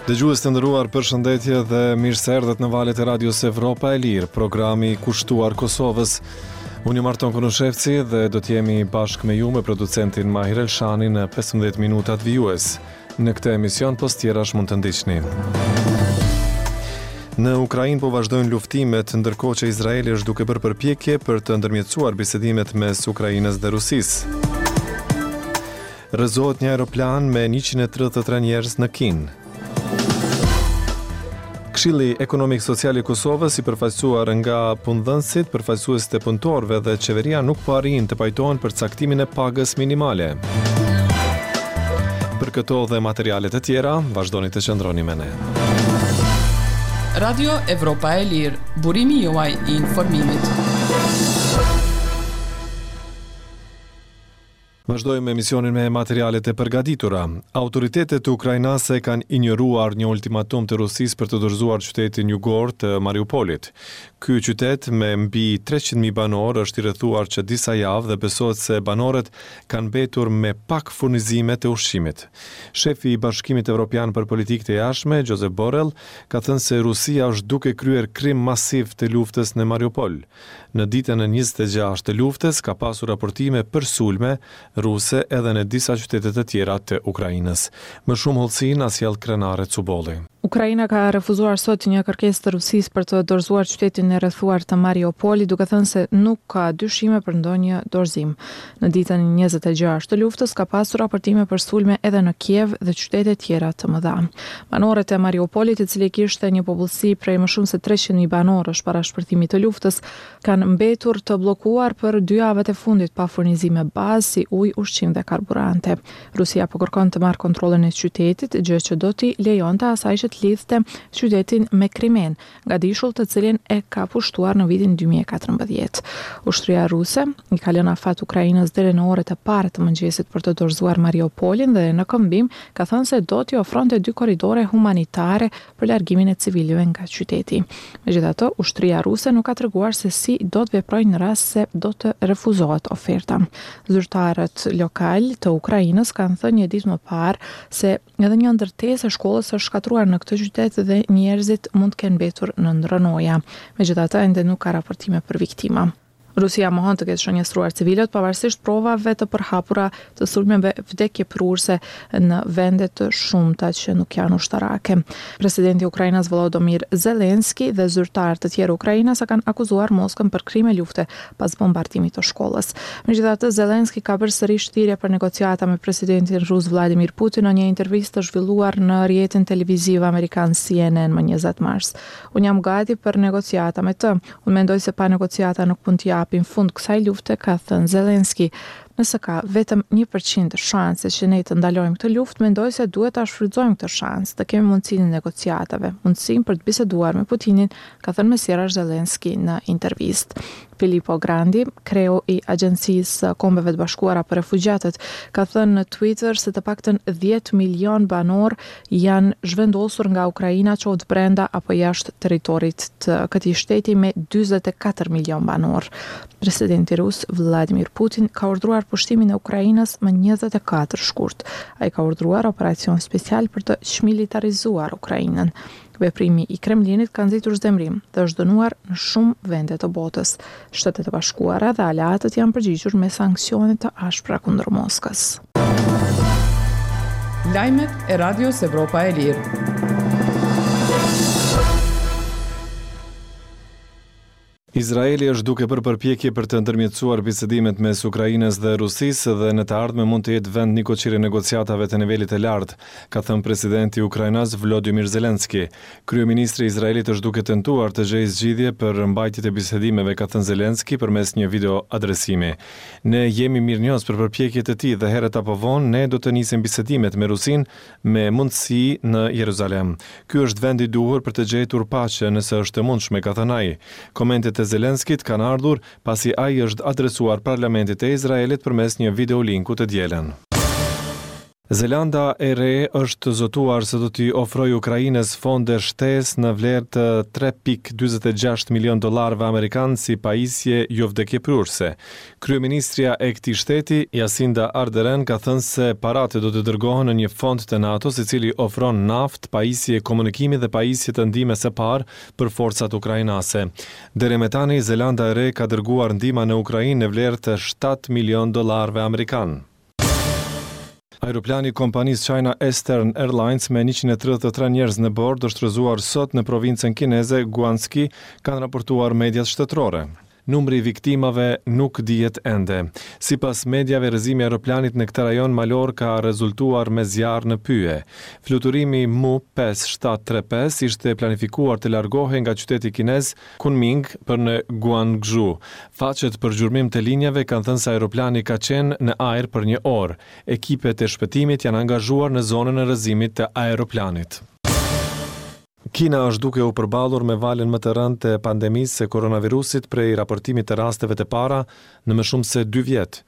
Dëgjues të nderuar, përshëndetje dhe mirë se erdhët në valët e Radios Evropa e Lirë, programi kushtuar Kosovës. Unë jam Arton Konushevci dhe do të jemi bashkë me ju me producentin Mahir Elshani në 15 minutat vijues. Në këtë emision pos tjerash mund të ndiqni. Në Ukrainë po vazhdojnë luftimet, ndërkohë që Izraeli është duke bërë përpjekje për të ndërmjetësuar bisedimet mes Ukrainës dhe Rusisë. Rrëzohet një aeroplan me 133 njerëz në Kinë. Këshilli Ekonomik Social i Kosovës i përfaqësuar nga punëdhënësit, përfaqësuesit e punëtorëve dhe qeveria nuk po arrijnë të pajtohen për caktimin e pagës minimale. Për këto dhe materiale të tjera, vazhdoni të qëndroni me ne. Radio Evropa e Lirë, burimi juaj i informimit. Vazhdojmë emisionin me materialet e përgatitura. Autoritetet ukrainase kanë injoruar një ultimatum të Rusisë për të dorëzuar qytetin jugor të Mariupolit. Ky qytet me mbi 300.000 banorë është i rrethuar që disa javë dhe besohet se banorët kanë mbetur me pak furnizime të ushqimit. Shefi i Bashkimit Evropian për Politikë të Jashtme, Josep Borrell, ka thënë se Rusia është duke kryer krim masiv të luftës në Mariupol. Në ditën e 26 të luftës ka pasur raportime për sulme ruse edhe në disa qytete të tjera të Ukrainës. Më shumë hollësi na sjell Krenare Cubolli. Ukraina ka refuzuar sot një kërkesë të Rusisë për të dorëzuar qytetin e rrethuar të Mariupolit, duke thënë se nuk ka dyshime për ndonjë dorëzim. Në ditën e 26 të luftës ka pasur raportime për sulme edhe në Kiev dhe qytete tjera të mëdha. Banorët e Mariupolit, i cili kishte një popullsi prej më shumë se 300.000 banorësh para shpërthimit të luftës, kanë mbetur të bllokuar për dy javët e fundit pa furnizime bazë si ujë, ushqim dhe karburante. Rusia po kërkon të marrë kontrollin e qytetit, gjë që do t'i lejonte asaj që të lidhte qytetin me Krimenë, gadishull të cilin e ka pushtuar në vitin 2014. Ushtria ruse i ka lënë afat Ukrainës deri në orët e para të mëngjesit për të dorëzuar Mariupolin dhe në këmbim ka thënë se do t'i ofronte dy korridore humanitare për largimin e civilëve nga qyteti. Megjithatë, ushtria ruse nuk ka treguar se si do të veprojë në rast se do të refuzohet oferta. Zyrtarët lokalë të Ukrainës kanë thënë një ditë më parë se Edhe një ndërtesë e shkollës është shkatërruar në këtë qytet dhe njerëzit mund të kenë mbetur nën rrënoja. Megjithatë, ende nuk ka raportime për viktima. Rusia mohon të ketë shënjestruar civilët pavarësisht provave të përhapura të sulmeve vdekjeprurëse në vende të shumta që nuk janë ushtarake. Presidenti ukrainas Volodymyr Zelensky dhe zyrtarë të tjerë ukrainas e kanë akuzuar Moskën për krime lufte pas bombardimit të shkollës. Megjithatë, Zelensky ka bërë sërish thirrje për negociata me presidentin rus Vladimir Putin në një intervistë të zhvilluar në rrjetin televiziv amerikan CNN më 20 mars. Unë jam gati për negociata me të. Unë mendoj se pa negociata nuk mund t'i japim fund kësaj lufte, ka thënë Zelensky. Nëse ka vetëm 1% shanse që ne të ndalojmë këtë luftë, mendoj se duhet ta shfrytëzojmë këtë shans, të kemi mundësinë e negociatave, mundësinë për të biseduar me Putinin, ka thënë mes tjerash Zelensky në intervistë. Filippo Grandi, kreu i Agjencisë së Kombeve të Bashkuara për Refugjatët, ka thënë në Twitter se të paktën 10 milion banorë janë zhvendosur nga Ukraina qoftë brenda apo jashtë territorit të këtij shteti me 44 milion banorë. Presidenti rus Vladimir Putin ka urdhëruar pushtimin e Ukrainës më 24 shkurt. Ai ka urdhëruar operacion special për të çmilitarizuar Ukrainën. Veprimi i Kremlinit ka nxitur zemërim dhe është dënuar në shumë vende të botës. Shtetet e Bashkuara dhe aleatët janë përgjigjur me sanksione të ashpra kundër Moskës. Lajmet e Radios Evropa e Lirë. Izraeli është duke bërë përpjekje për të ndërmjetësuar bisedimet mes Ukrainës dhe Rusisë dhe në të ardhme mund të jetë vend nikoqir i negociatave të nivelit të lartë, ka thënë presidenti ukrainas Volodymyr Zelensky. Kryeministri i Izraelit është duke tentuar të gjejë zgjidhje për mbajtjet e bisedimeve, ka thënë Zelensky përmes një video adresimi. Ne jemi mirënjohës për përpjekjet e tij dhe herët apo vonë ne do të nisim bisedimet me Rusinë me mundësi në Jeruzalem. Ky është vendi i duhur për të gjetur paqe nëse është e mundshme, ka thënë ai. Komentet e Zelenskit kanë ardhur pasi ai i është adresuar parlamentit të Izraelit përmes një videolinku të dielën. Zelanda e Re është zotuar se do t'i ofrojë Ukrainës fonde shtesë në vlerë të 3.46 milionë dollarëve amerikanë si pajisje jovdekjeprurëse. Kryeministrja e këtij shteti, Jacinda Ardern, ka thënë se paratë do të dërgohen në një fond të NATO-s i cili ofron naftë, pajisje komunikimi dhe pajisje të ndihmës së parë për forcat ukrainase. Deri me tani, Zelanda e Re ka dërguar ndihma në Ukrainë në vlerë të 7 milionë dollarëve amerikanë. Aeroplani i kompanisë China Eastern Airlines me 133 njerëz në bord është rrëzuar sot në provincën kineze Guangxi, kanë raportuar mediat shtetërore. Numri i viktimave nuk dihet ende. Sipas mediave, rrëzimi i aeroplanit në këtë rajon malor ka rezultuar me zjarr në pyje. Fluturimi Mu 5735 ishte planifikuar të largohej nga qyteti kinez Kunming për në Guangzhou. Faqet për gjurmim të linjave kanë thënë se aeroplani ka qenë në ajër për një orë. Ekipet e shpëtimit janë angazhuar në zonën e rrëzimit të aeroplanit. Kina është duke u përballur me valën më të rëndë të pandemisë së koronavirusit prej raportimit të rasteve të para në më shumë se dy vjet.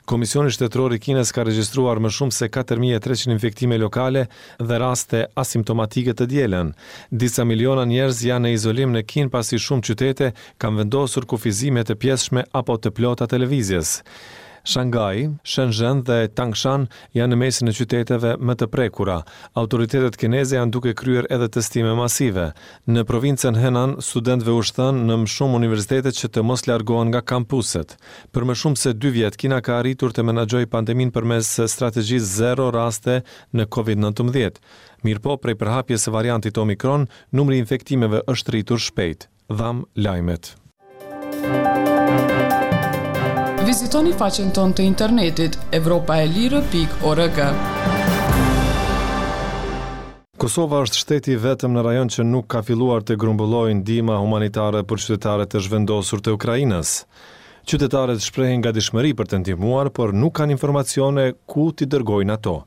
Komisioni Shtetëror i Kinës ka regjistruar më shumë se 4300 infektime lokale dhe raste asimptomatike të dielën. Disa miliona njerëz janë në izolim në Kinë pasi shumë qytete kanë vendosur kufizime të pjesshme apo të plota të lëvizjes. Shanghai, Shenzhen dhe Tangshan janë në mesin e qyteteve më të prekura. Autoritetet kineze janë duke kryer edhe testime masive. Në provincën Henan, studentëve u është thënë në më shumë universitete që të mos largohen nga kampuset. Për më shumë se dy vjet, Kina ka arritur të menaxhojë pandeminë përmes strategjisë zero raste në Covid-19. Mirëpo, prej përhapjes së variantit Omicron, numri i infektimeve është rritur shpejt. Dhamë lajmet. Vizitoni faqen tonë të internetit evropaelire.org. Kosova është shteti i vetëm në rajon që nuk ka filluar të grumbullojë ndihma humanitare për qytetarët e zhvendosur të Ukrainës. Qytetarët shprehin gatishmëri për të ndihmuar, por nuk kanë informacione ku t'i dërgojnë ato.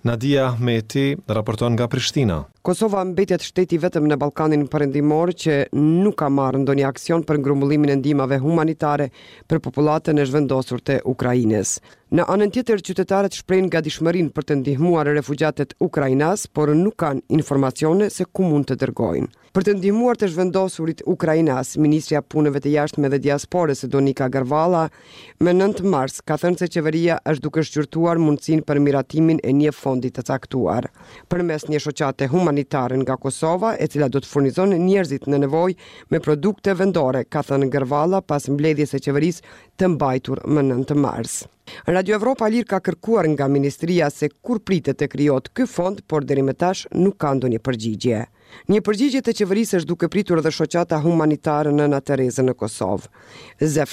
Nadia Ahmeti raporton nga Prishtina. Kosova mbetet shteti i vetëm në Ballkanin Perëndimor që nuk ka marrë ndonjë aksion për grumbullimin e ndihmave humanitare për popullatën e zhvendosur të Ukrainës. Në anën tjetër, qytetarët shprehin gatishmërinë për të ndihmuar refugjatët ukrainas, por nuk kanë informacione se ku mund të dërgojnë. Për të ndihmuar të zhvendosurit ukrainas, ministrja e Punëve të Jashtme dhe Diasporës, Donika Gërvalla, më 9 mars ka thënë se qeveria është duke shqyrtuar mundësinë për miratimin e një fondi të caktuar. Përmes një shoqate humanitare nga Kosova, e cila do të furnizon njerëzit në nevojë me produkte vendore, ka thënë Gërvalla pas mbledhjes së qeverisë të mbajtur më 9 mars. Radio Evropa e Lirë ka kërkuar nga ministria se kur pritet të krijohet ky fond, por deri më tash nuk ka ndonjë përgjigje. Një përgjigje të qeverisë është duke pritur edhe shoqata humanitare Nëna Tereze në Kosovë. Zef.